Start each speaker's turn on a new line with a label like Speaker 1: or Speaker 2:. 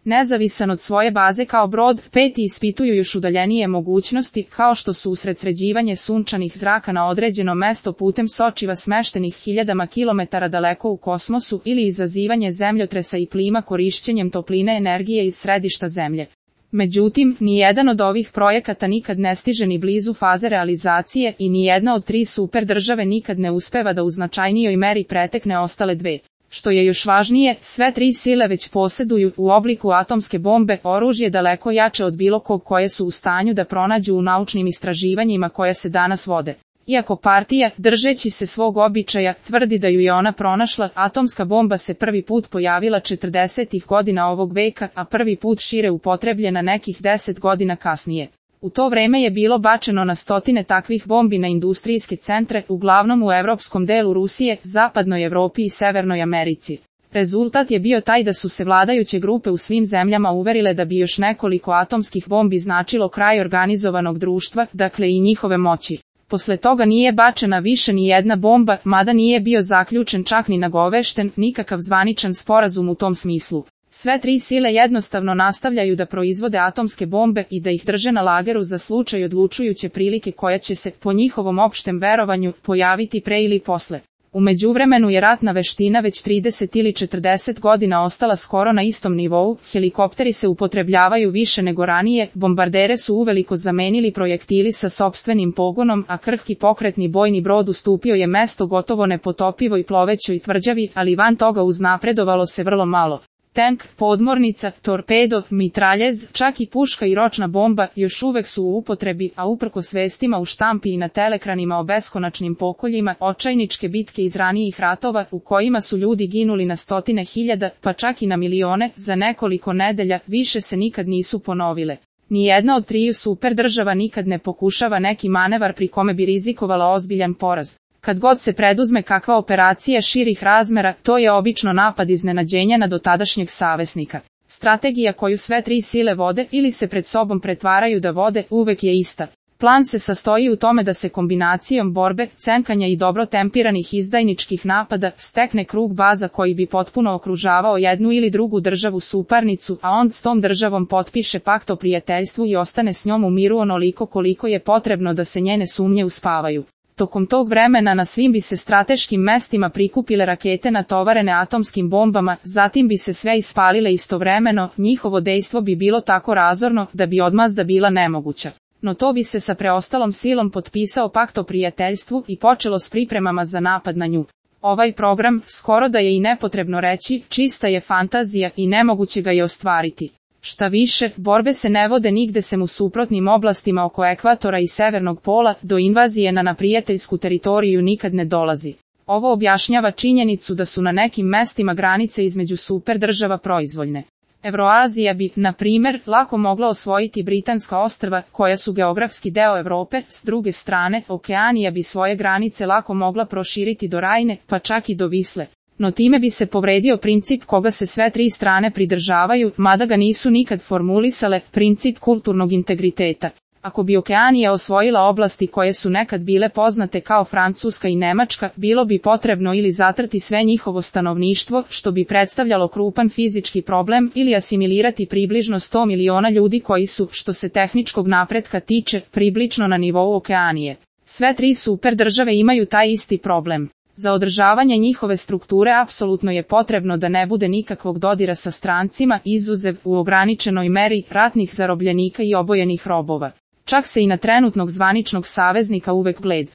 Speaker 1: Nezavisan od svoje baze kao brod, peti ispituju još udaljenije mogućnosti, kao što su usredsređivanje sunčanih zraka na određeno mesto putem sočiva smeštenih hiljadama kilometara daleko u kosmosu ili izazivanje zemljotresa i plima korišćenjem topline energije iz središta Zemlje. Međutim, nijedan od ovih projekata nikad ne stiže ni blizu faze realizacije i nijedna od 3 super države nikad ne uspeva da u značajnijoj meri pretekne ostale 2. Što je još važnije, sve 3 sile već posjeduju u obliku atomske bombe oružje daleko jače od bilo kog koje su u stanju da pronađu u naučnim istraživanjima koje se danas vode. Iako partija, držeći se svog običaja, tvrdi da ju je ona pronašla, atomska bomba se prvi put pojavila 40. godina ovog veka, a prvi put šire upotrebljena nekih 10 godina kasnije. U to vreme je bilo bačeno na stotine takvih bombi na industrijske centre, uglavnom u evropskom delu Rusije, zapadnoj Evropi i Severnoj Americi. Rezultat je bio taj da su se vladajuće grupe u svim zemljama uverile da bi još nekoliko atomskih bombi značilo kraj organizovanog društva, dakle i njihove moći. Posle toga nije bačena više ni jedna bomba, mada nije bio zaključen čak ni nagovešten nikakav zvaničan sporazum u tom smislu. Sve 3 sile jednostavno nastavljaju da proizvode atomske bombe i da ih drže na lageru za slučaj odlučujuće prilike koja će se, po njihovom opštem verovanju, pojaviti pre ili posle. U međuvremenu je ratna veština već 30 ili 40 godina ostala skoro na istom nivou, helikopteri se upotrebljavaju više nego ranije, bombardere su uveliko zamenili projektili sa sopstvenim pogonom, a krhki pokretni bojni brod ustupio je mesto gotovo nepotopivoj plovećoj tvrđavi, ali van toga uznapredovalo se vrlo malo. Tank, podmornica, torpedo, mitraljez, čak i puška i ročna bomba još uvek su u upotrebi, a uprkos vestima u štampi i na telekranima o beskonačnim pokoljima, očajničke bitke iz ranijih ratova, u kojima su ljudi ginuli na stotine hiljada, pa čak i na milione, za nekoliko nedelja, više se nikad nisu ponovile. Nijedna od 3 super država nikad ne pokušava neki manevar pri kome bi rizikovala ozbiljan poraz. Kad god se preduzme kakva operacija širih razmera, to je obično napad iznenađenja na dotadašnjeg saveznika. Strategija koju sve 3 sile vode ili se pred sobom pretvaraju da vode, uvek je ista. Plan se sastoji u tome da se kombinacijom borbe, cenkanja i dobro tempiranih izdajničkih napada stekne krug baza koji bi potpuno okružavao jednu ili drugu državu suparnicu, a on s tom državom potpiše pakt o prijateljstvu i ostane s njom u miru onoliko koliko je potrebno da se njene sumnje uspavaju. Tokom tog vremena na svim bi se strateškim mestima prikupile rakete natovarene atomskim bombama, zatim bi se sve ispalile istovremeno, njihovo dejstvo bi bilo tako razorno da bi odmazda bila nemoguća. No to bi se sa preostalom silom potpisao pakt o prijateljstvu i počelo s pripremama za napad na nju. Ovaj program, skoro da je i nepotrebno reći, čista je fantazija i nemoguće ga je ostvariti. Šta više, borbe se ne vode nigde sem u suprotnim oblastima oko ekvatora i severnog pola, do invazije na neprijateljsku teritoriju nikad ne dolazi. Ovo objašnjava činjenicu da su na nekim mestima granice između super država proizvoljne. Evroazija bi, na primer, lako mogla osvojiti Britanska ostrva, koja su geografski deo Evrope, s druge strane, Okeanija bi svoje granice lako mogla proširiti do Rajne, pa čak i do Visle. No time bi se povredio princip koga se sve 3 strane pridržavaju, mada ga nisu nikad formulisale, princip kulturnog integriteta. Ako bi Okeanija osvojila oblasti koje su nekad bile poznate kao Francuska i Nemačka, bilo bi potrebno ili zatrti sve njihovo stanovništvo, što bi predstavljalo krupan fizički problem, ili asimilirati približno 100 miliona ljudi koji su, što se tehničkog napretka tiče, približno na nivou Okeanije. Sve 3 super države imaju taj isti problem. Za održavanje njihove strukture apsolutno je potrebno da ne bude nikakvog dodira sa strancima, izuzev, u ograničenoj meri, ratnih zarobljenika i obojenih robova. Čak se i na trenutnog zvaničnog saveznika uvek gleda.